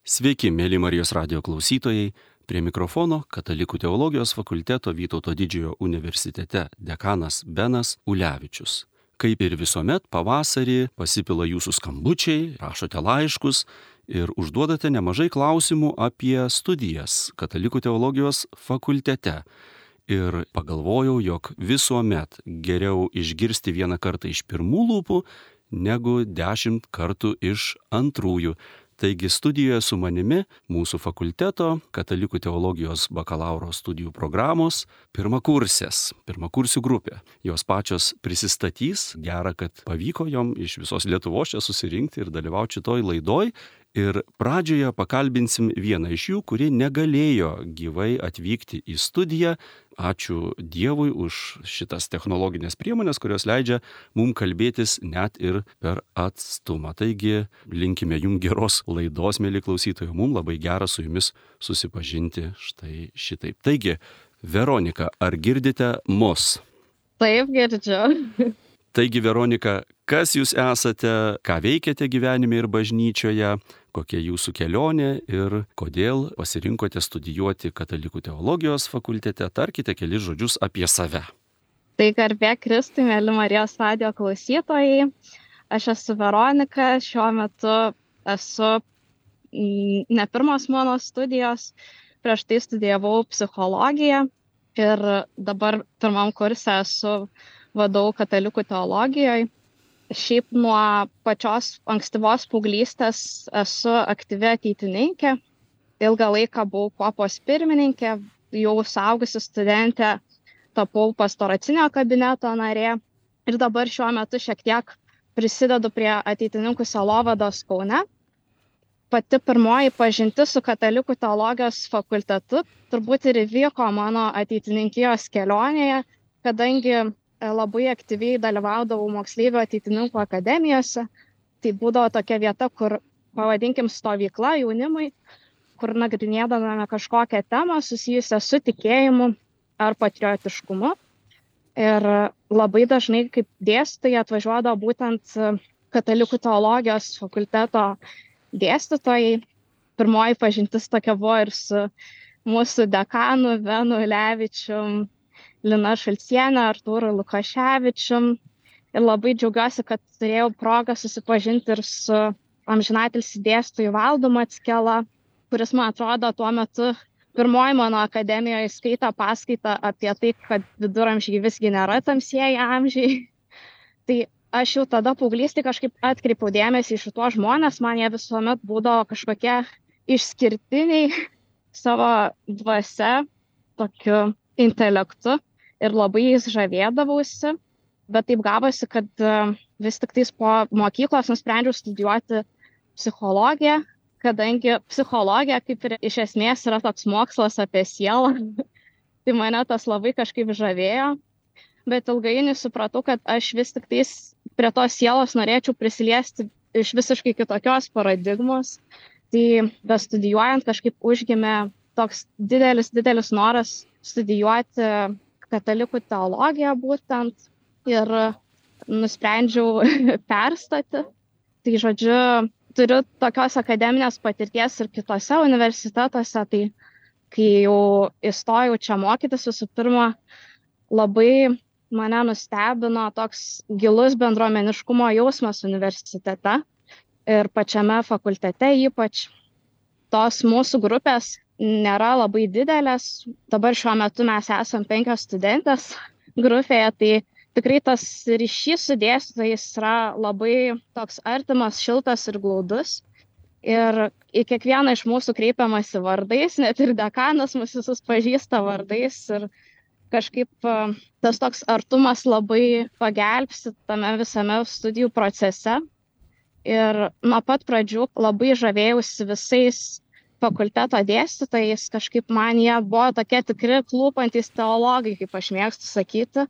Sveiki, mėly Marijos radijo klausytojai. Prie mikrofono Katalikų teologijos fakulteto Vytauto Didžiojo universitete dekanas Benas Ulevičius. Kaip ir visuomet, pavasarį pasipila jūsų skambučiai, rašote laiškus ir užduodate nemažai klausimų apie studijas Katalikų teologijos fakultete. Ir pagalvojau, jog visuomet geriau išgirsti vieną kartą iš pirmų lūpų, negu 10 kartų iš antrųjų. Taigi studijoje su manimi mūsų fakulteto Katalikų teologijos bakalauro studijų programos pirmakursių grupė. Jos pačios prisistatys, gera, kad pavyko jom iš visos Lietuvos čia susirinkti ir dalyvauti šitoj laidoj. Ir pradžioje pakalbinsim vieną iš jų, kuri negalėjo gyvai atvykti į studiją. Ačiū Dievui už šitas technologinės priemonės, kurios leidžia mums kalbėtis net ir per atstumą. Taigi linkime jums geros laidos, mėly klausytojai. Mums labai gera su jumis susipažinti štai šitaip. Taigi, Veronika, ar girdite mus? Taip, girdžiu. Taigi, Veronika, kas jūs esate, ką veikiate gyvenime ir bažnyčioje, kokia jūsų kelionė ir kodėl pasirinkote studijuoti Katalikų teologijos fakultete? Tarkite kelis žodžius apie save. Tai garbė Kristui, mėly Marijos radijo klausytojai. Aš esu Veronika, šiuo metu esu ne pirmos mano studijos, prieš tai studijavau psichologiją ir dabar pirmam kurse esu vadovau Katalikų teologijoje. Šiaip nuo pačios ankstyvos paauglystės esu aktyvi ateitininkė. Ilgą laiką buvau kuopos pirmininkė, jau suaugusi studentė tapau pastoracinio kabineto narė ir dabar šiuo metu šiek tiek prisidedu prie ateitininkų sielovados Kaune. Pati pirmoji pažintis su Katalikų teologijos fakultetu turbūt ir įvyko mano ateitininkijos kelionėje, kadangi labai aktyviai dalyvaudavau moksleivių ateitininkų akademijose. Tai būdavo tokia vieta, kur, pavadinkim, stovykla jaunimui, kur nagrinėdavome kažkokią temą susijusią su tikėjimu ar patriotiškumu. Ir labai dažnai kaip dėstytojai atvažiuodavo būtent Katalikų teologijos fakulteto dėstytojai. Pirmoji pažintis tokia buvo ir su mūsų dekanu Benu Ulevičium, Lina Šalcienė, Artūru Lukaševičium. Ir labai džiaugiuosi, kad turėjau progą susipažinti ir su amžinatilsį dėstytoju Valdu Mackela, kuris, man atrodo, tuo metu pirmoji mano akademijoje skaitė paskaitą apie tai, kad viduramžiai visgi nėra tamsieji amžiai. Tai aš jau tada paauglystėje kažkaip atkreipiau dėmesį į šituos žmonės, man jie visuomet būdavo kažkokie išskirtiniai savo dvasia, tokiu intelektu. Ir labai jais žavėdavausi, bet taip gavosi, kad vis tik tais po mokyklos nusprendžiau studijuoti psichologiją, kadangi psichologija kaip ir iš esmės yra toks mokslas apie sielą, tai mane tas labai kažkaip žavėjo, bet ilgainiui supratau, kad aš vis tik tais prie tos sielos norėčiau prisiliesti iš visiškai kitokios paradigmos, tai bestudijuojant kažkaip užgimė toks didelis noras studijuoti Katalikų teologiją būtent ir nusprendžiau perstoti. Tai žodžiu, turiu tokios akademinės patirties ir kitose universitetuose, tai kai jau įstojau čia mokytis, visų pirma, labai mane nustebino toks gilus bendruomeniškumo jausmas universitete ir pačiame fakultete ypač. Tos mūsų grupės nėra labai didelės. Dabar šiuo metu mes esam 5 studentės grupėje, tai tikrai tas ryšys su dėstytojais yra labai toks artimas, šiltas ir glaudus. Ir į kiekvieną iš mūsų kreipiamasi vardais, net ir dekanas mus visus pažįsta vardais. Ir kažkaip tas toks artumas labai pagelbsti tame visame studijų procese. Ir nuo pat pradžių labai žavėjausi visais fakulteto dėstytojais, kažkaip man jie buvo tokie tikri klūpantys teologai, kaip aš mėgstu sakyti,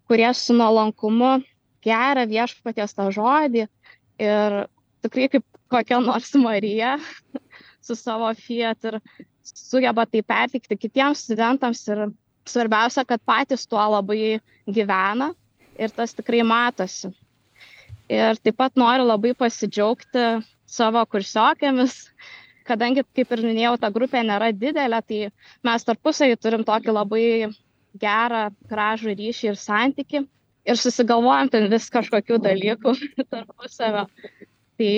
kurie su nuolankumu geria viešpaties tą žodį ir tikrai kaip kokia nors Marija su savo fiat ir sugeba tai perteikti kitiems studentams ir svarbiausia, kad patys tuo labai gyvena ir tas tikrai matosi. Ir taip pat noriu labai pasidžiaugti savo kursiokėmis, kadangi, kaip ir minėjau, ta grupė nėra didelė, tai mes tarpusavį turim tokį labai gerą, gražų ryšį ir santyki ir susigalvojam ten vis kažkokių dalykų tarpusavio. Tai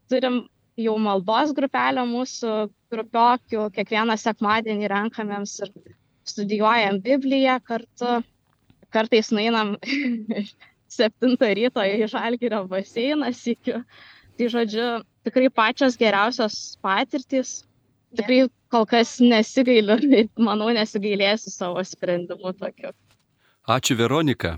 turim jau maldos grupelę mūsų grupiokių, kiekvieną sekmadienį renkamėms ir studijuojam Bibliją kartu. Kartais nueinam 7 ryto į Žalgirio baseiną sykiu. Tai žodžiu, tikrai pačios geriausios patirtys. Tikrai kol kas nesigailiu, manau, nesigailėsiu savo sprendimu tokiu. Ačiū, Veronika.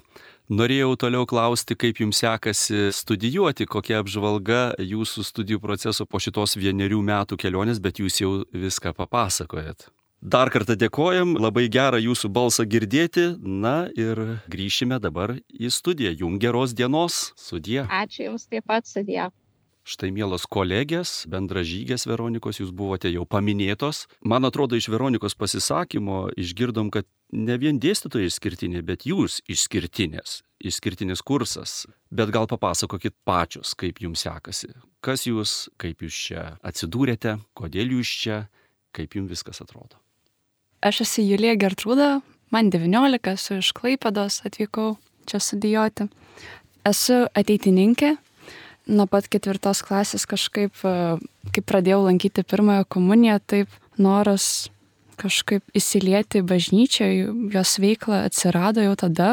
Norėjau toliau klausti, kaip jums sekasi studijuoti, kokia apžvalga jūsų studijų proceso po šitos 1 metų kelionės, bet jūs jau viską papasakojat. Dar kartą dėkojam, labai gera jūsų balsą girdėti, na ir grįšime dabar į studiją. Jums geros dienos, sudie. Ačiū jums taip pat, sudie. Štai, mielos kolegės, bendražygės Veronikos, jūs buvote jau paminėtos. Man atrodo, iš Veronikos pasisakymo išgirdom, kad ne vien dėstytojai išskirtiniai, bet jūs išskirtinės, išskirtinis kursas. Bet gal papasakokit pačios, kaip jums sekasi. Kas jūs, kaip jūs čia atsidūrėte, kodėl jūs čia, kaip jums viskas atrodo. Aš esu Julija Gertrūda, man 19, esu iš Klaipėdos, atvykau čia studijuoti. Esu ateitininkė. Nuo pat 4 klasės kažkaip, kai pradėjau lankyti pirmąją komuniją, taip noras kažkaip įsilieti bažnyčią, jos veikla atsirado jau tada.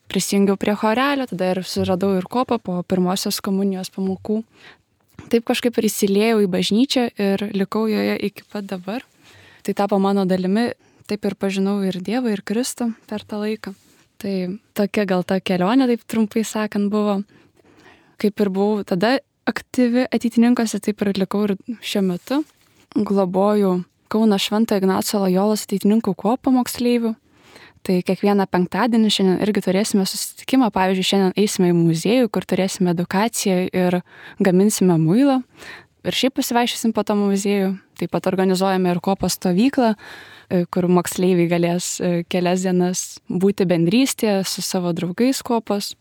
Prisijungiau prie chorelio, tada ir suradau ir kopą po pirmosios komunijos pamokų. Taip kažkaip ir įsiliejau į bažnyčią ir likau joje iki pat dabar. Tai tapo mano dalimi, taip ir pažinau ir Dievą, ir Kristų per tą laiką. Tai tokia gal ta kelionė, taip trumpai sakant, buvo. Kaip ir buvau tada aktyvi ateitininkose, taip ir likau ir šiuo metu. Globoju Kauno Švento Ignaco Lojolos ateitininkų kuopą moksleivių. Tai kiekvieną penktadienį šiandien irgi turėsime susitikimą. Pavyzdžiui, šiandien eisime į muziejų, kur turėsime edukaciją ir gaminsime muilą. Ir šiaip pasivaikščiosim po tą muziejų. Taip pat organizuojame ir kuopos stovyklą, kur moksleiviai galės kelias dienas būti bendrystėje su savo draugais kuopos.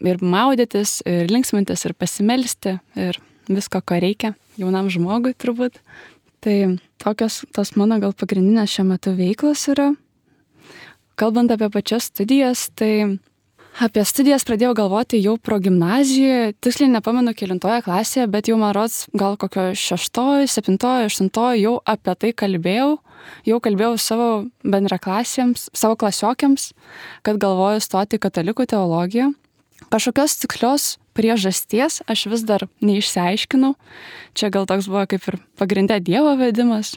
Ir maudytis, ir linksmintis, ir pasimelsti, ir visko, ko reikia jaunam žmogui turbūt. Tai tokios tos mano gal pagrindinės šiuo metu veiklos yra. Kalbant apie pačias studijas, tai apie studijas pradėjau galvoti jau progimnazijoje, tiksliai nepamenu kelintoje klasėje, bet jau man rods gal kokio 6, 7, 8 jau apie tai kalbėjau. Jau kalbėjau savo bendraklasėms, savo klasiokiams, kad galvoju stoti katalikų teologiją. Kažkokios tikslios priežasties aš vis dar neišsiaiškinau. Čia gal toks buvo kaip ir pagrindė Dievo vedimas.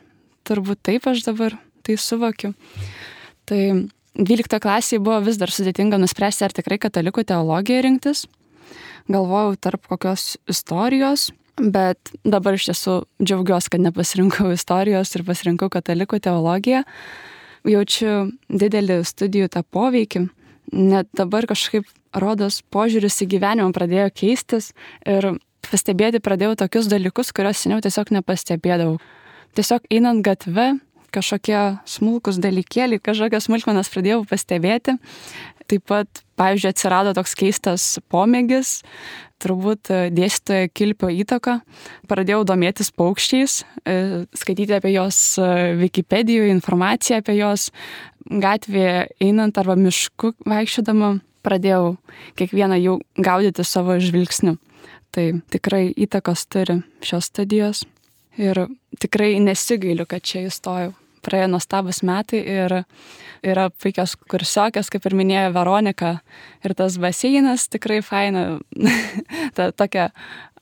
Turbūt taip aš dabar tai suvokiu. Tai 12 klasėje buvo vis dar sudėtinga nuspręsti, ar tikrai katalikų teologiją rinktis. Galvojau tarp kokios istorijos, bet dabar iš tiesų džiaugiuosi, kad nepasirinkau istorijos ir pasirinkau katalikų teologiją. Jaučiu didelį studijų tą poveikį. Net dabar kažkaip rodos požiūris į gyvenimą pradėjo keistis ir pastebėti pradėjau tokius dalykus, kuriuos seniau tiesiog nepastebėdavau. Tiesiog einant gatve, kažkokie smulkus dalykėliai, kažkokias smulkmenas pradėjau pastebėti. Taip pat, pavyzdžiui, atsirado toks keistas pomėgis, turbūt dėstytojo Kilpio įtaka. Pradėjau domėtis paukščiais, skaityti apie jos Wikipedijoje, informaciją apie jos gatvėje einant arba mišku vaikščiodama. Pradėjau kiekvieną jų gaudyti savo žvilgsniu. Tai tikrai įtakos turi šios studijos. Ir tikrai nesigailiu, kad čia įstojau. Praėjo nuostabus metai ir yra puikios kursiokės, kaip ir minėjo Veronika. Ir tas baseinas tikrai faina. Ta tokia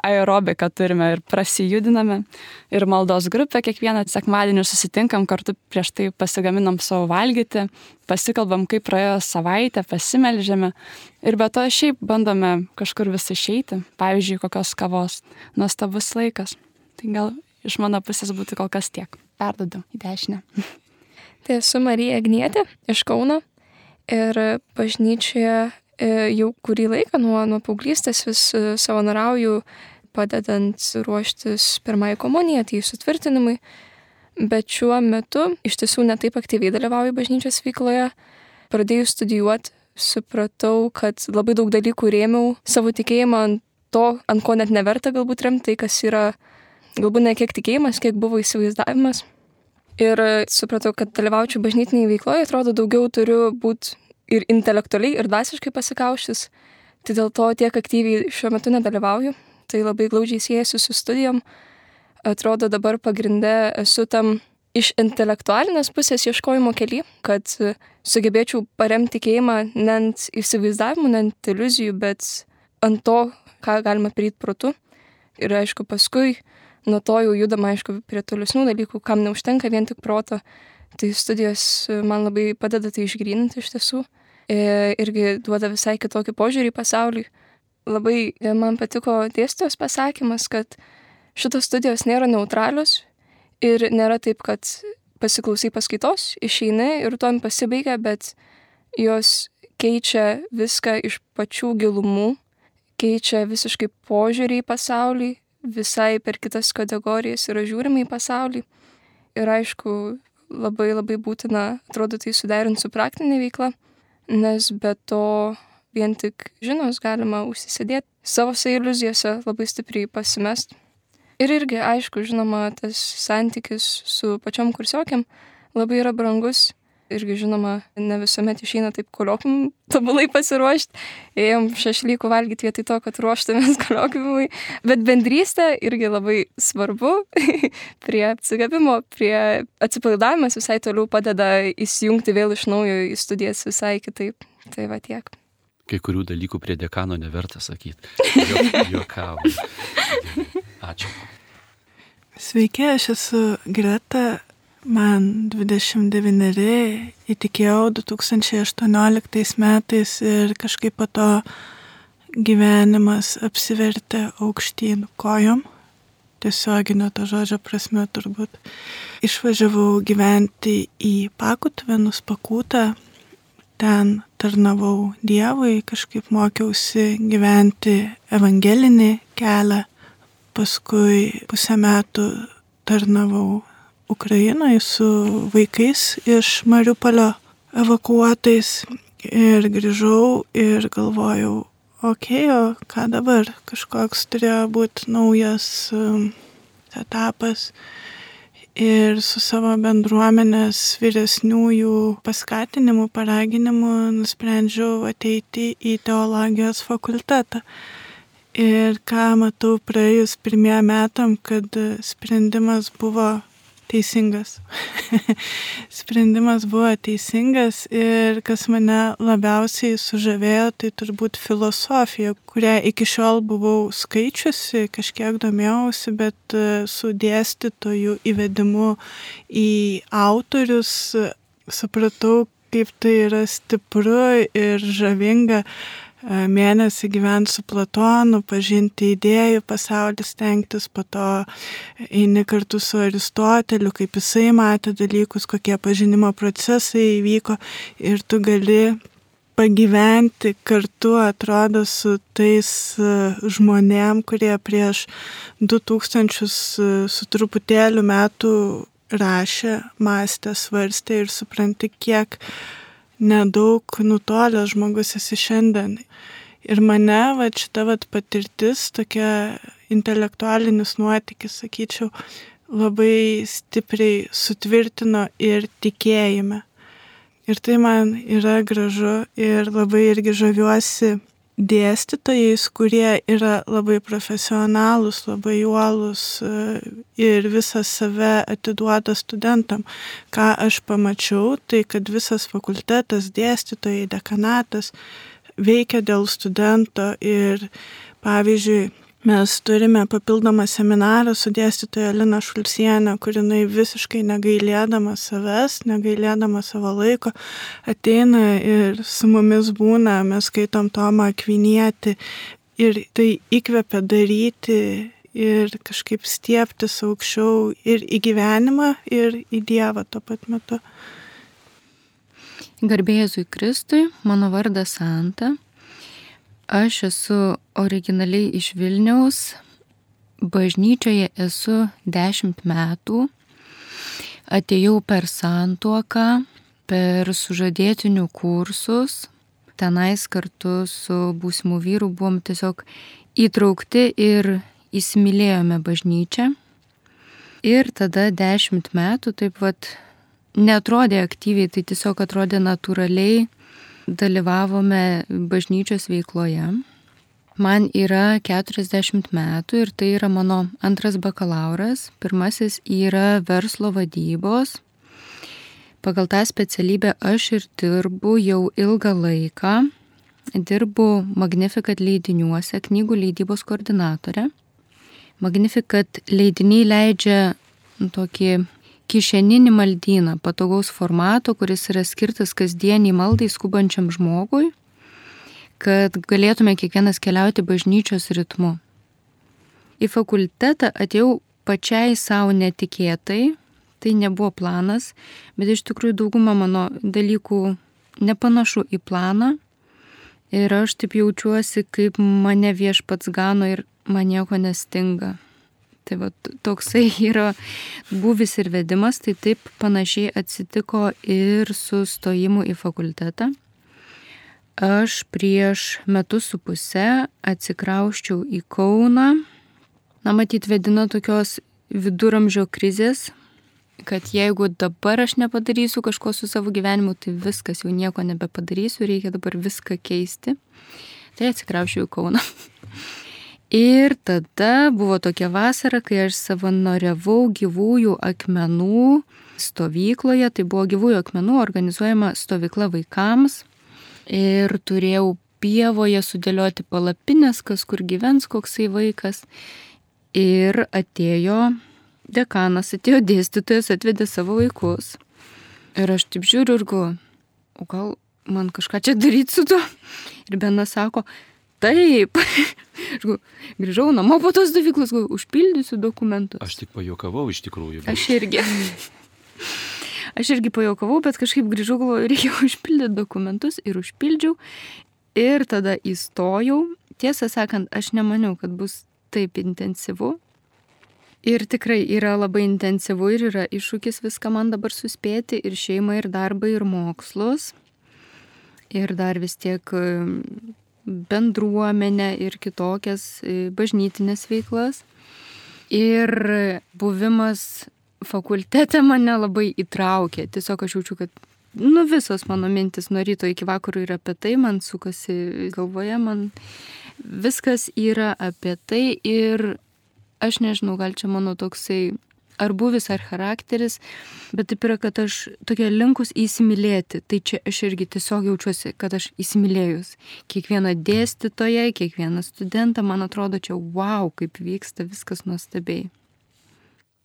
aerobika turime ir prasijudiname. Ir maldos grupė kiekvieną sekmadienį susitinkam kartu, prieš tai pasigaminam savo valgyti, pasikalbam, kaip praėjo savaitę, pasimeldžiame. Ir be to šiaip bandome kažkur vis išeiti. Pavyzdžiui, kokios kavos. Nuostabus laikas. Tai gal iš mano pusės būtų kol kas tiek. Perduodu į dešinę. Tai esu Marija Agnietė iš Kauno ir bažnyčioje jau kurį laiką nuo paauglystės vis savanoriauju, padedant ruoštis pirmąjį komuniją, tai sutvirtinimui. Bet šiuo metu iš tiesų netaip aktyviai dalyvauju bažnyčios veikloje. Pradėjus studijuoti, supratau, kad labai daug dalykų rėmiau savo tikėjimą ant to, ant ko net neverta galbūt remti, tai kas yra galbūt ne kiek tikėjimas, kiek buvo įsivaizdavimas. Ir supratau, kad dalyvaučiau bažnytiniai veikloje, atrodo, daugiau turiu būti ir intelektualiai, ir dvasiškai pasikauštis. Tai dėl to tiek aktyviai šiuo metu nedalyvauju. Tai labai glaudžiai siejasi su studijom. Atrodo, dabar pagrinde esu tam iš intelektualinės pusės ieškojimo kely, kad sugebėčiau paremti tikėjimą ne ant įsivaizdavimų, ne ant iliuzijų, bet ant to, ką galima daryti protu. Ir aišku, paskui nuo to jau judama, aišku, prie tolesnių dalykų, kam neužtenka vien tik proto. Tai studijos man labai padeda tai išgryninti iš tiesų. Irgi duoda visai kitokį požiūrį į pasaulį. Labai man patiko dėstytojos pasakymas, kad šitos studijos nėra neutralios ir nėra taip, kad pasiklausai paskaitos, išeini ir tuom pasibaigia, bet jos keičia viską iš pačių gilumų, keičia visiškai požiūrį į pasaulį, visai per kitas kategorijas yra žiūrima į pasaulį. Ir aišku, labai labai būtina, atrodo, tai suderinti su praktinė veikla, nes be to vien tik žinos galima užsisėdėti savo iliuzijose, labai stipriai pasimest. Ir irgi, aišku, žinoma, tas santykis su pačiom kursiokiam labai yra brangus. Irgi, žinoma, ne visuomet išeina taip koliokvium tobulai pasiruošti. Ėjom šašlykų valgyti vietoj to, kad ruoštumės koliokviumui. Bet bendrystė irgi labai svarbu. Prie atsigavimo, prie atsipalaidavimas visai toliau padeda įsijungti vėl iš naujo į studijas visai kitaip. Tai va tiek. Kai kurių dalykų prie dekano neverta sakyti. Juokauju. Ačiū. Sveiki, aš esu Greta, man 29, įtikėjau 2018 metais ir kažkaip po to gyvenimas apsivertė aukštyn kojom, tiesioginio to žodžio prasme turbūt. Išvažiavau gyventi į Pakutvenus, Pakutą, ten tarnavau Dievui, kažkaip mokiausi gyventi evangelinį kelią. Paskui 5 metų tarnavau Ukrainoje su vaikais iš Mariupolio evakuotais ir grįžau ir galvojau, o ką dabar? Kažkoks turėjo būti naujas etapas. Ir su savo bendruomenės vyresniųjų paskatinimu, paraginimu nusprendžiau ateiti į teologijos fakultetą. Ir ką matau praėjus 1 metam, kad sprendimas buvo teisingas. Sprendimas buvo teisingas ir kas mane labiausiai sužavėjo, tai turbūt filosofija, kurią iki šiol buvau skaičiusi, kažkiek domėjausi, bet su dėstytojų įvedimu į autorius supratau, kaip tai yra stipru ir žavinga. Mėnesį gyventi su Platonu, pažinti idėjų pasaulį, stengtis, po to eini kartu su Aristoteliu, kaip jisai matė dalykus, kokie pažinimo procesai įvyko ir tu gali pagyventi kartu, atrodo, su tais žmonėm, kurie prieš 2000 su truputėliu metų rašė, mąstė, svarstė ir supranti, kiek nedaug nutolęs žmogus esi šiandien. Ir mane šita patirtis, tokia intelektualinis nuotykis, sakyčiau, labai stipriai sutvirtino ir tikėjime. Ir tai man yra gražu ir labai irgi žaviuosi dėstytojais, kurie yra labai profesionalūs, labai uolūs ir visą save atiduoda studentam. Ką aš pamačiau, tai kad visas fakultetas, dėstytojai, dekanatas veikia dėl studento ir, pavyzdžiui, mes turime papildomą seminarą su dėstytoja Lina Šulcienė, kur jinai visiškai negailėdama savęs, negailėdama savo laiko, ateina ir su mumis būna, mes skaitom Tomą Akvinietį ir tai įkvepia daryti ir kažkaip stiebtis aukščiau ir į gyvenimą, ir į Dievą tuo pat metu. Garbė Jėzui Kristui, mano vardas Santa. Aš esu originaliai iš Vilniaus, bažnyčioje esu 10 metų, atėjau per santuoką, per sužadėtinių kursus, tenais kartu su būsimu vyru buvom tiesiog įtraukti ir įsimylėjome bažnyčią. Ir tada 10 metų taip vat neatrodė aktyviai, tai tiesiog atrodė natūraliai, dalyvavome bažnyčios veikloje. Man yra 40 metų ir tai yra mano antras bakalauras. Pirmasis yra verslo vadybos. Pagal tą specialybę aš ir dirbu jau ilgą laiką. Dirbu Magnificat leidiniuose, knygų leidybos koordinatorė. Magnificat leidiniai leidžia tokį kišeninį maldyną, patogaus formato, kuris yra skirtas kasdieniai maldai skubančiam žmogui, kad galėtume kiekvienas keliauti bažnyčios ritmu. Į fakultetą atėjau pačiai savo netikėtai, tai nebuvo planas, bet iš tikrųjų dauguma mano dalykų nepanašu į planą ir aš taip jaučiuosi, kaip mane viešpats gano ir man nieko nestinga. Tai va, toksai yra buvis ir vedimas, tai taip panašiai atsitiko ir su stojimu į fakultetą. Aš prieš 1.5 metų atsikrausčiau į Kauną. Matyt, vedina tokios viduramžio krizės, kad jeigu dabar aš nepadarysiu kažko su savo gyvenimu, tai viskas, jau nieko nebepadarysiu, reikia dabar viską keisti. Tai atsikrausčiau į Kauną. Ir tada buvo tokia vasara, kai aš savanoriavau gyvųjų akmenų stovykloje. Tai buvo gyvųjų akmenų organizuojama stovykla vaikams. Ir turėjau pievoje sudėlioti palapines, kas kur gyvens, koksai vaikas. Ir atėjo dekanas, atėjo dėstytojas, atvedė savo vaikus. Ir aš taip žiūriu ir galvoju, o gal man kažką čia daryti su tuo? Ir Benas sako, taip. Grįžau namo po tos stovyklos, užpildysiu dokumentus. Aš tik pajuokavau iš tikrųjų. Bet... Aš irgi pajuokavau, bet kažkaip grįžau, galvoju, reikia užpildyti dokumentus ir užpildžiau. Ir tada įstojau. Tiesą sakant, aš nemaniau, kad bus taip intensyvu. Ir tikrai yra labai intensyvu ir yra iššūkis viską man dabar suspėti, ir šeimą, ir darbą, ir mokslus. Ir dar vis tiek bendruomenę ir kitokias bažnytinės veiklas. Ir buvimas fakultete mane labai įtraukė. Tiesiog aš jaučiu, kad visos mano mintis nuo ryto iki vakaro yra apie tai, man sukasi galvoje, man viskas yra apie tai ir aš nežinau, gal čia mano toksai ar buvis, ar charakteris, bet taip yra, kad aš tokia linkus įsimylėti. Tai čia aš irgi tiesiog jaučiuosi, kad aš įsimylėjus. Kiekvieną dėstytoją, kiekvieną studentą, man atrodo čia, wow, kaip vyksta viskas nuostabiai.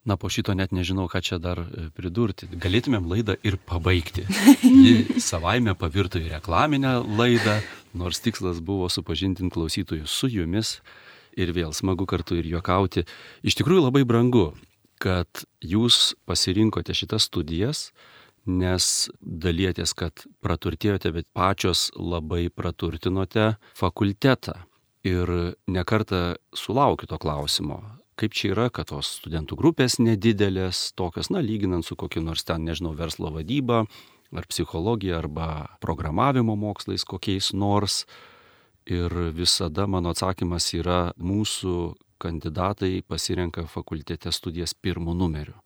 Na, po šito net nežinau, ką čia dar pridurti. Galėtumėm laidą ir pabaigti. Ji savaime pavirto į reklaminę laidą, nors tikslas buvo supažindinti klausytojus su jumis ir vėl smagu kartu ir juokauti. Iš tikrųjų labai brangu, kad jūs pasirinkote šitas studijas, nes dalietės, kad praturtėjote, bet pačios labai praturtinote fakultetą. Ir nekartą sulaukiu to klausimo, kaip čia yra, kad tos studentų grupės nedidelės, tokios, lyginant su kokiu nors ten, nežinau, verslo vadyba, ar psichologija, arba programavimo mokslais kokiais nors. Ir visada mano atsakymas yra, mūsų kandidatai pasirenka fakultete studijas 1 numeriu.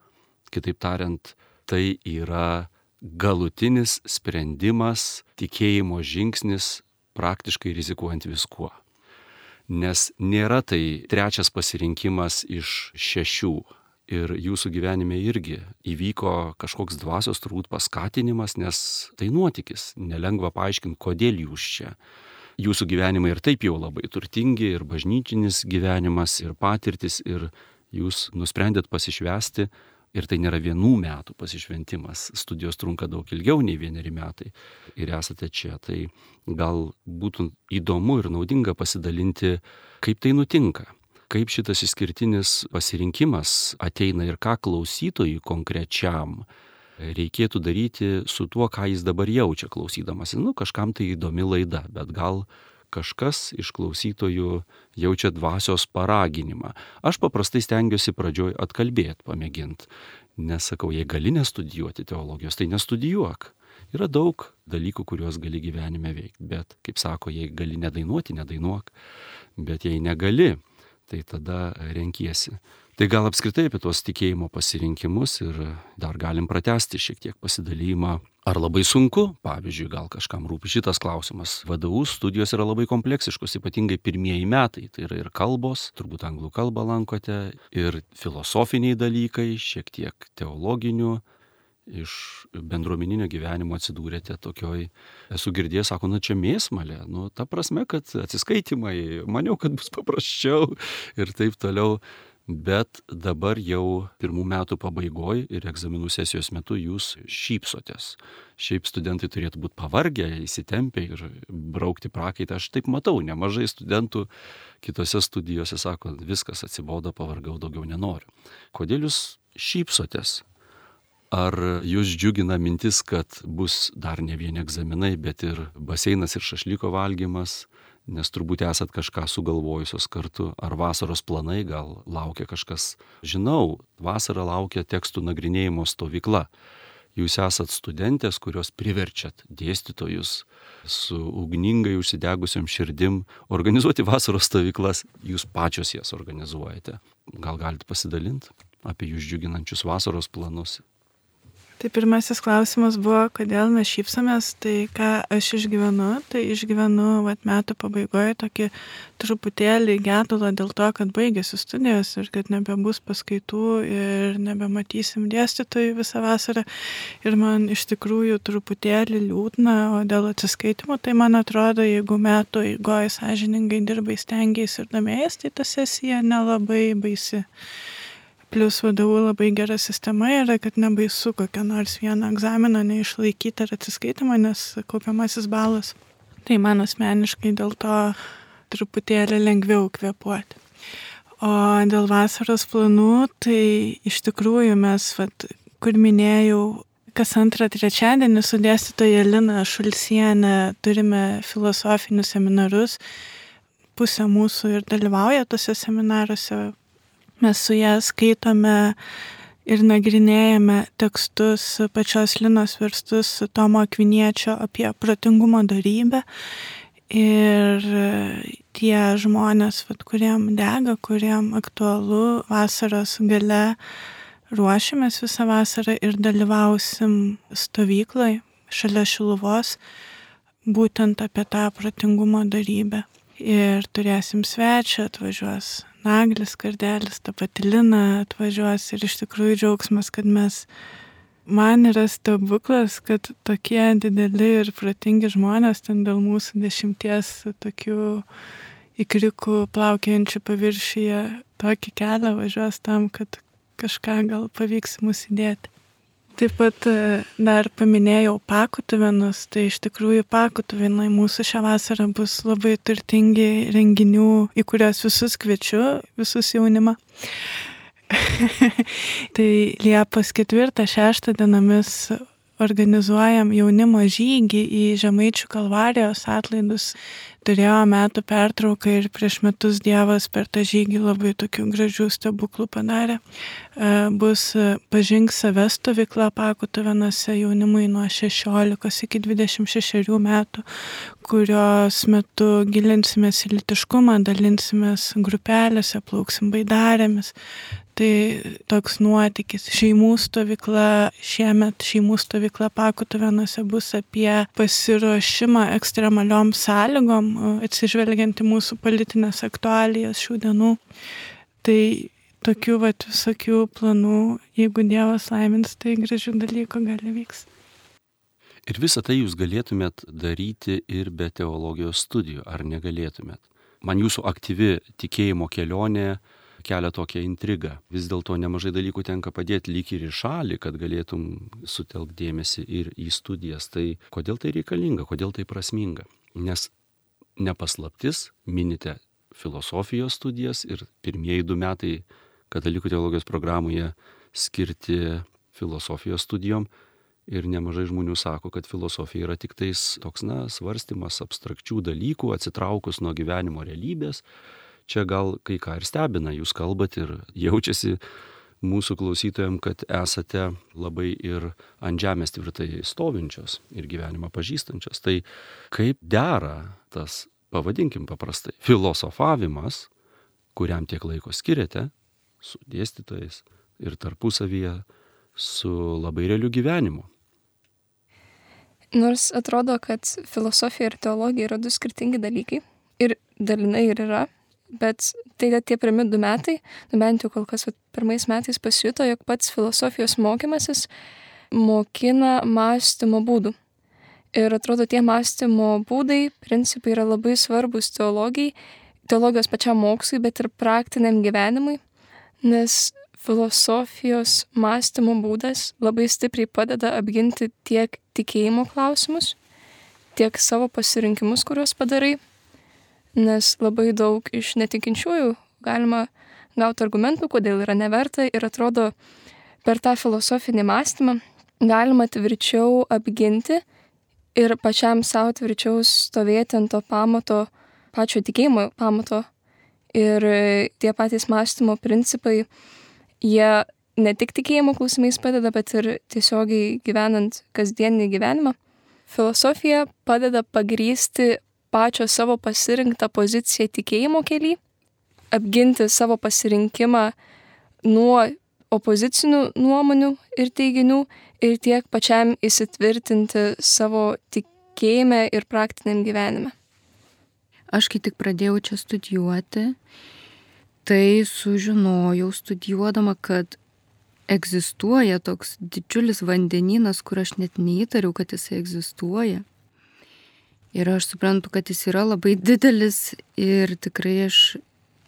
Kitaip tariant, tai yra galutinis sprendimas, tikėjimo žingsnis, praktiškai rizikuojant viskuo. Nes nėra tai 3 pasirinkimas iš 6. Ir jūsų gyvenime irgi įvyko kažkoks dvasios turbūt paskatinimas, nes tai nuotykis. Nelengva paaiškinti, kodėl jūs čia. Jūsų gyvenimai ir taip jau labai turtingi, ir bažnyčinis gyvenimas, ir patirtis, ir jūs nusprendėt pasišvęsti, ir tai nėra 1 metų pasišventimas. Studijos trunka daug ilgiau nei 1 metai ir esate čia. Tai gal būtų įdomu ir naudinga pasidalinti, kaip tai nutinka. Kaip šitas išskirtinis pasirinkimas ateina ir ką klausytojui konkrečiam reikėtų daryti su tuo, ką jis dabar jaučia klausydamas. Kažkam tai įdomi laida, bet gal kažkas iš klausytojų jaučia dvasios paraginimą. Aš paprastai stengiuosi pradžioj atkalbėti, pamėginti. Nesakau, jei gali nestudijuoti teologijos, tai nestudijuok. Yra daug dalykų, kuriuos gali gyvenime veikti, bet, kaip sako, jei gali nedainuoti, nedainuok, bet jei negali, tai tada renkiesi Tai gal apskritai apie tuos tikėjimo pasirinkimus ir dar galim pratęsti šiek tiek pasidalymą. Ar labai sunku, pavyzdžiui, gal kažkam rūpi šitas klausimas. VDU studijos yra labai kompleksiškos, ypatingai pirmieji metai. Tai yra ir kalbos, turbūt anglų kalbą lankote, ir filosofiniai dalykai, šiek tiek teologinių. Iš bendruomeninio gyvenimo atsidūrėte tokioj, esu girdėjęs, sako, čia mėsmalė, ta prasme, kad atsiskaitimai, maniau, kad bus paprasčiau ir taip toliau. Bet dabar jau pirmų metų pabaigoj ir egzaminų sesijos metu jūs šypsotės. Šiaip studentai turėtų būti pavargę, įsitempę ir braukti prakaitą. Aš taip matau, nemažai studentų kitose studijose sako, viskas atsibodo, pavargau, daugiau nenoriu. Kodėl jūs šypsotės? Ar jūs džiugina mintis, kad bus dar ne vieni egzaminai, bet ir baseinas ir šašlyko valgymas? Nes turbūt esat kažką sugalvojusios kartu, ar vasaros planai gal laukia kažkas. Žinau, vasarą laukia tekstų nagrinėjimo stovykla. Jūs esat studentės, kurios priverčiat dėstytojus su ugningai užsidegusiam širdim organizuoti vasaros stovyklas. Jūs pačios jas organizuojate. Gal galite pasidalinti apie jūs džiuginančius vasaros planus? Tai pirmasis klausimas buvo, kodėl mes šypsomės, tai ką aš išgyvenu metų pabaigoje tokį truputėlį gedulą dėl to, kad baigėsi studijos ir kad nebebus paskaitų ir nebematysim dėstytojų visą vasarą. Ir man iš tikrųjų truputėlį liūdna, o dėl atsiskaitimo, tai man atrodo, jeigu metų eigoje sąžiningai dirbai, stengiais ir domėjais, tai ta sesija nelabai baisi. Plius VDU labai gera sistema yra, kad nebaisu kokią nors vieną egzaminą neišlaikyti ar atsiskaitimą, nes kaupiamasis balas. Tai man asmeniškai dėl to truputėlį lengviau kvėpuoti. O dėl vasaros planų, tai iš tikrųjų mes, kur minėjau, kas antrą trečiadienį su dėstytoja Lina Šulcienė turime filosofinius seminarus. Pusė mūsų ir dalyvauja tose seminaruose. Mes su ją skaitome ir nagrinėjame tekstus pačios Linos verstus Tomo Akviniečio apie protingumo dorybę. Ir tie žmonės, kuriem dega, kuriem aktualu vasaros gale, ruošiamės visą vasarą ir dalyvausim stovykloj šalia Šiluvos, būtent apie tą protingumo dorybę. Ir turėsim svečią, atvažiuos Naglis Kardelis, ta pati Lina atvažiuos ir iš tikrųjų džiaugsmas, kad man yra stebuklas, kad tokie dideli ir protingi žmonės ten dėl mūsų 10 tokių ikrikų plaukiojančių paviršiuje tokį kelią važiuos tam, kad kažką gal pavyks mus įdėti. Taip pat dar paminėjau Pakutuvenus, tai iš tikrųjų Pakutuvenai mūsų šią vasarą bus labai turtingi renginių, į kuriuos visus kviečiu, visus jaunimą. Tai Liepos 4-6 dienomis organizuojam jaunimo žygį į Žemaičių Kalvarijos atlaidus. Turėjo metų pertrauką ir prieš metus Dievas per tą žygį labai tokių gražių stebuklų padarė. Bus Pažink save stovykla Pakutuvenuose jaunimui nuo 16 iki 26 metų, kurios metu gilinsimės į lytiškumą, dalinsimės grupelėse, plauksim baidarėmis. Tai toks nuotykis. Šeimų stovykla, šiemet šeimų stovykla Pakutuvenuose bus apie pasiruošimą ekstremaliom sąlygom, atsižvelgiant į mūsų politinės aktualijas šių dienų. Tai tokių visokių planų, jeigu Dievas laimins, tai gražių dalykų gali vyks. Ir visą tai jūs galėtumėt daryti ir be teologijos studijų, ar negalėtumėt? Man jūsų aktyvi tikėjimo kelionė kelia tokią intrigą. Vis dėlto nemažai dalykų tenka padėti lyg ir į šalį, kad galėtum sutelkti dėmesį ir į studijas. Tai kodėl tai reikalinga, kodėl tai prasminga? Nes nepaslaptis, minite filosofijos studijas ir pirmieji 2 metai katalikų teologijos programoje skirti filosofijos studijom. Ir nemažai žmonių sako, kad filosofija yra tik tais toks, svarstymas abstrakčių dalykų, atsitraukus nuo gyvenimo realybės. Čia gal kai ką ir stebina, jūs kalbat ir jaučiasi mūsų klausytojams, kad esate labai ir ant žemės tvirtai stovinčios ir gyvenimą pažįstančios. Tai kaip dera tas, pavadinkim paprastai, filosofavimas, kuriam tiek laiko skiriate, su dėstytojais ir tarpusavyje su labai realiu gyvenimu. Nors atrodo, kad filosofija ir teologija yra du skirtingi dalykai, ir dalinai ir yra, bet tai tie pirmi 2 metai, bent jau kol kas pirmais metais pasijuto, jog pats filosofijos mokymasis mokina mąstymo būdų. Ir atrodo, tie mąstymo būdai, principai yra labai svarbus teologijai, teologijos pačiam mokslui, bet ir praktiniam gyvenimui, nes filosofijos mąstymo būdas labai stipriai padeda apginti tiek tikėjimo klausimus, tiek savo pasirinkimus, kuriuos padarai, nes labai daug iš netikinčiųjų galima gauti argumentų, kodėl yra neverta, ir atrodo, per tą filosofinį mąstymą galima tvirčiau apginti ir pačiam savo tvirčiau stovėti ant to pamato, pačio tikėjimo pamato. Ir tie patys mąstymo principai, jie ne tik tikėjimo klausimais padeda, bet ir tiesiogiai gyvenant kasdienį gyvenimą. Filosofija padeda pagrįsti pačio savo pasirinktą poziciją tikėjimo kely, apginti savo pasirinkimą nuo opozicinių nuomonių ir teiginių ir tiek pačiam įsitvirtinti savo tikėjime ir praktiniam gyvenime. Aš kai tik pradėjau čia studijuoti, tai sužinojau studijuodama, kad egzistuoja toks didžiulis vandenynas, kur aš net neįtariau, kad jis egzistuoja. Ir aš suprantu, kad jis yra labai didelis ir tikrai aš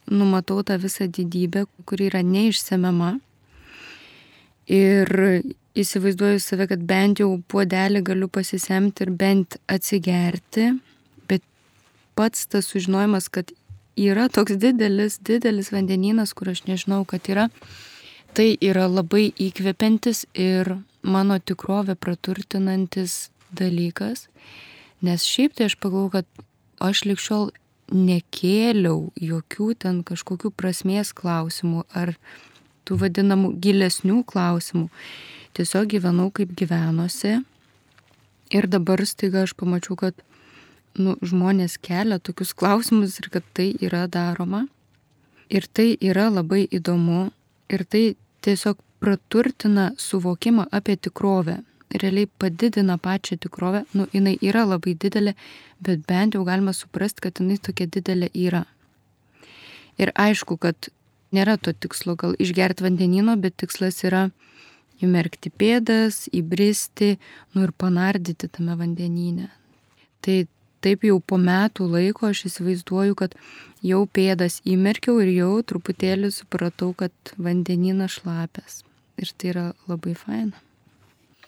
numatau tą visą didybę, kuri yra neišsemiama. Ir įsivaizduoju save, kad bent jau puodelį galiu pasisemti ir bent atsigerti, bet pats tas sužinojimas, kad yra toks didelis vandenynas, kur aš nežinau, kad yra, tai yra labai įkvepiantis ir mano tikrovę praturtinantis dalykas, nes šiaip tai aš pagalvoju, kad aš lig šiol nekėliau jokių ten kažkokių prasmės klausimų ar tų vadinamų gilesnių klausimų. Tiesiog gyvenau kaip gyvenosi ir dabar staiga aš pamačiau, kad žmonės kelia tokius klausimus ir kad tai yra daroma. Ir tai yra labai įdomu ir tai tiesiog praturtina suvokimą apie tikrovę. Realiai padidina pačią tikrovę. Jinai yra labai didelė, bet bent jau galima suprasti, kad jinai tokia didelė yra. Ir aišku, kad nėra to tikslo gal išgerti vandenyno, bet tikslas yra įmerkti pėdas, įbristi, ir panardyti tame vandenyne. Tai taip jau po metų laiko aš įsivaizduoju, kad jau pėdas įmerkiau ir jau truputėlį supratau, kad vandenynas šlapias. Ir tai yra labai faina.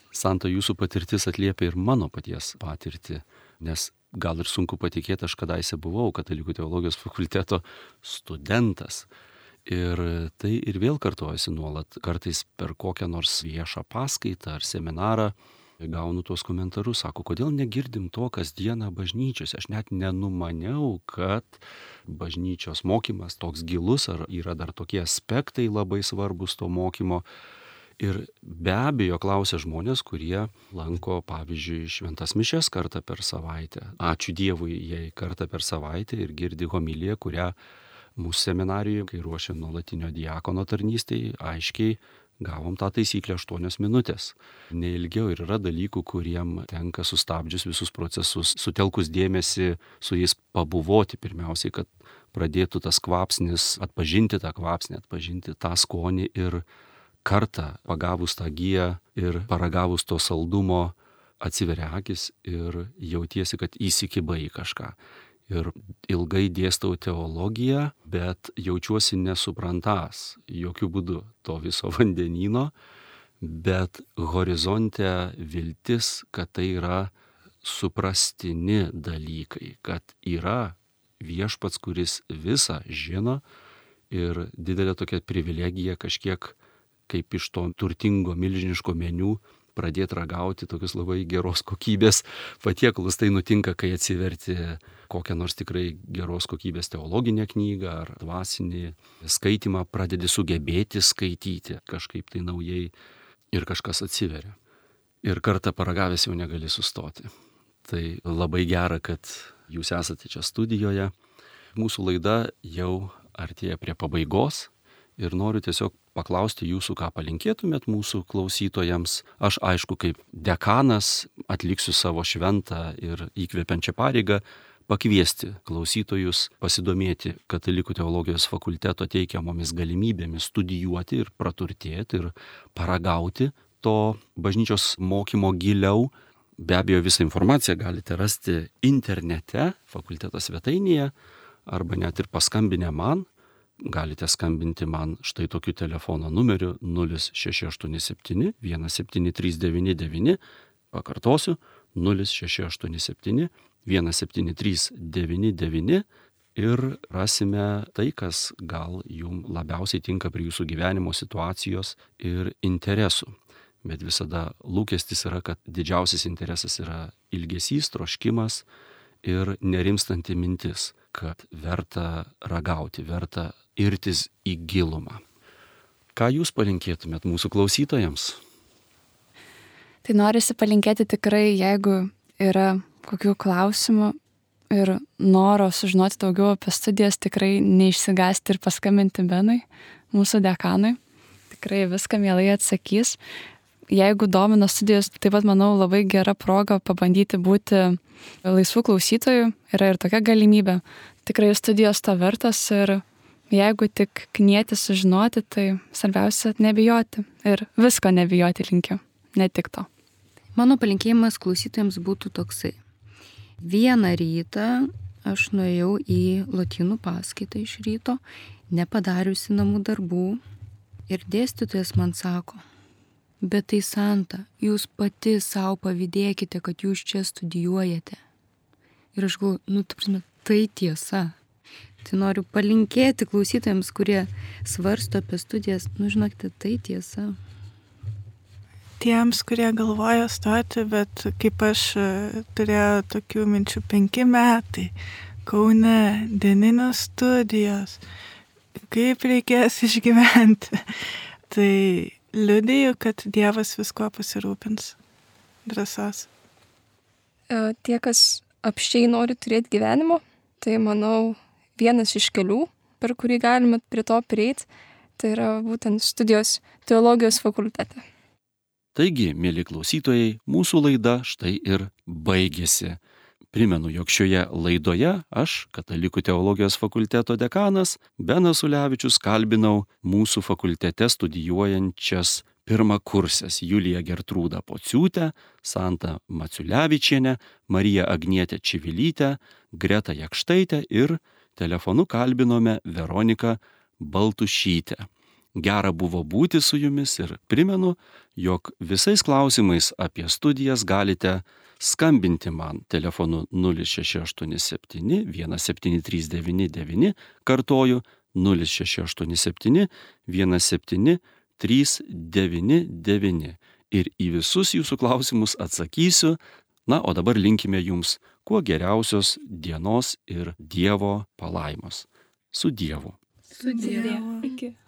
Santa, jūsų patirtis atliepia ir mano paties patirtį, nes gal ir sunku patikėti, aš kadaise buvau Katalikų teologijos fakulteto studentas. Ir tai ir vėl kartojasi nuolat, kartais per kokią nors viešą paskaitą ar seminarą gaunu tuos komentarus, sako, kodėl negirdim to kasdieną bažnyčiose. Aš net nenumaniau, kad bažnyčios mokymas toks gilus, ar yra dar tokie aspektai labai svarbus to mokymo. Ir be abejo klausia žmonės, kurie lanko, pavyzdžiui, šventas mišias kartą per savaitę. Ačiū Dievui, jei kartą per savaitę ir girdi homiliją, kurią mūsų seminarijoje, kai ruošė nuolatinio diakono tarnystėje, aiškiai gavom tą taisyklę 8 minutės. Neilgiau ir yra dalykų, kuriem tenka sustabdžius visus procesus, sutelkus dėmesį su jais pabuvoti pirmiausiai, kad pradėtų tas kvapsnis, atpažinti tą kvapsnį, atpažinti tą skonį ir kartą pagavus tą giją ir paragavus to saldumo atsiveria akis ir jautiesi, kad įsikibai į kažką. Ir ilgai dėstau teologiją, bet jaučiuosi nesuprantas jokių būdų to viso vandenyno, bet horizonte viltis, kad tai yra suprastini dalykai, kad yra viešpats, kuris visą žino ir didelė tokia privilegija kažkiek kaip iš to turtingo milžiniško meniu pradėti ragauti tokius labai geros kokybės patiekalus. Tai nutinka, kai atsiverti kokią nors tikrai geros kokybės teologinę knygą ar dvasinį skaitimą, pradedi sugebėti skaityti kažkaip tai naujai ir kažkas atsiveria. Ir kartą paragavęs jau negali sustoti. Tai labai gera, kad jūs esate čia studijoje. Mūsų laida jau artėja prie pabaigos ir noriu tiesiog paklausti jūsų, ką palinkėtumėt mūsų klausytojams. Aš, aišku, kaip dekanas atliksiu savo šventą ir įkvepiančią pareigą pakviesti klausytojus pasidomėti Katalikų teologijos fakulteto teikiamomis galimybėmis studijuoti ir praturtėti ir paragauti to bažnyčios mokymo giliau. Be abejo, visą informaciją galite rasti internete, fakulteto svetainėje, arba net ir paskambinę man. Galite skambinti man štai tokiu telefono numeriu 0687 17399, pakartosiu, 0687 17399 ir rasime tai, kas gal jums labiausiai tinka prie jūsų gyvenimo situacijos ir interesų. Bet visada lūkestis yra, kad didžiausias interesas yra ilgesys, troškimas ir nerimstanti mintis, kad verta ragauti, verta irtis į gilumą. Ką jūs palinkėtumėt mūsų klausytojams? Tai norisi palinkėti tikrai, jeigu yra kokių klausimų ir noro sužinoti daugiau apie studijas, tikrai neišsigąsti ir paskambinti Benui, mūsų dekanui. Tikrai viską mielai atsakys. Jeigu domina studijos, taip pat, manau, labai gera proga pabandyti būti laisvų klausytojų. Yra ir tokia galimybė. Tikrai studijos to vertas ir jeigu tik knieti sužinoti, tai svarbiausia nebijoti. Ir visko nebijoti linkiu, ne tik to. Mano palinkėjimas klausytojams būtų toksai. Vieną rytą aš nuėjau į lotynų paskaitą iš ryto, nepadariusi namų darbų. Ir dėstytojas man sako, bet tai Santa, jūs pati savo pavydėkite, kad jūs čia studijuojate. Ir aš galvoju, tai tiesa. Tai noriu palinkėti klausytojams, kurie svarsto apie studijas, žinokite, tai tiesa. Tiems, kurie galvoja stoti, bet kaip aš turėjau tokių minčių 5 metai, Kaune, dieninės studijos, kaip reikės išgyventi. Tai liudiju, kad Dievas visko pasirūpins. Drąsos. Tie, kas apsčiai nori turėti gyvenimo, tai manau vienas iš kelių, per kurį galime prie to prieiti, tai yra būtent studijos teologijos fakultete. Taigi, mėly klausytojai, mūsų laida štai ir baigėsi. Primenu, jog šioje laidoje aš, Katalikų teologijos fakulteto dekanas Benas Ulevičius, kalbinau mūsų fakultete studijuojančias pirmakursės Juliją Gertrūdą Pociūtę, Santą Maciulevičienę, Mariją Agnietę Čivilytę, Gretą Jakštaitę ir telefonu kalbinome Veroniką Baltušytę. Gera buvo būti su jumis ir primenu, jog visais klausimais apie studijas galite skambinti man telefonu 0687 17399, kartoju 0687 17399 ir į visus jūsų klausimus atsakysiu. Na, o dabar linkime jums kuo geriausios dienos ir Dievo palaimos. Su Dievu. Su Dievu. Iki.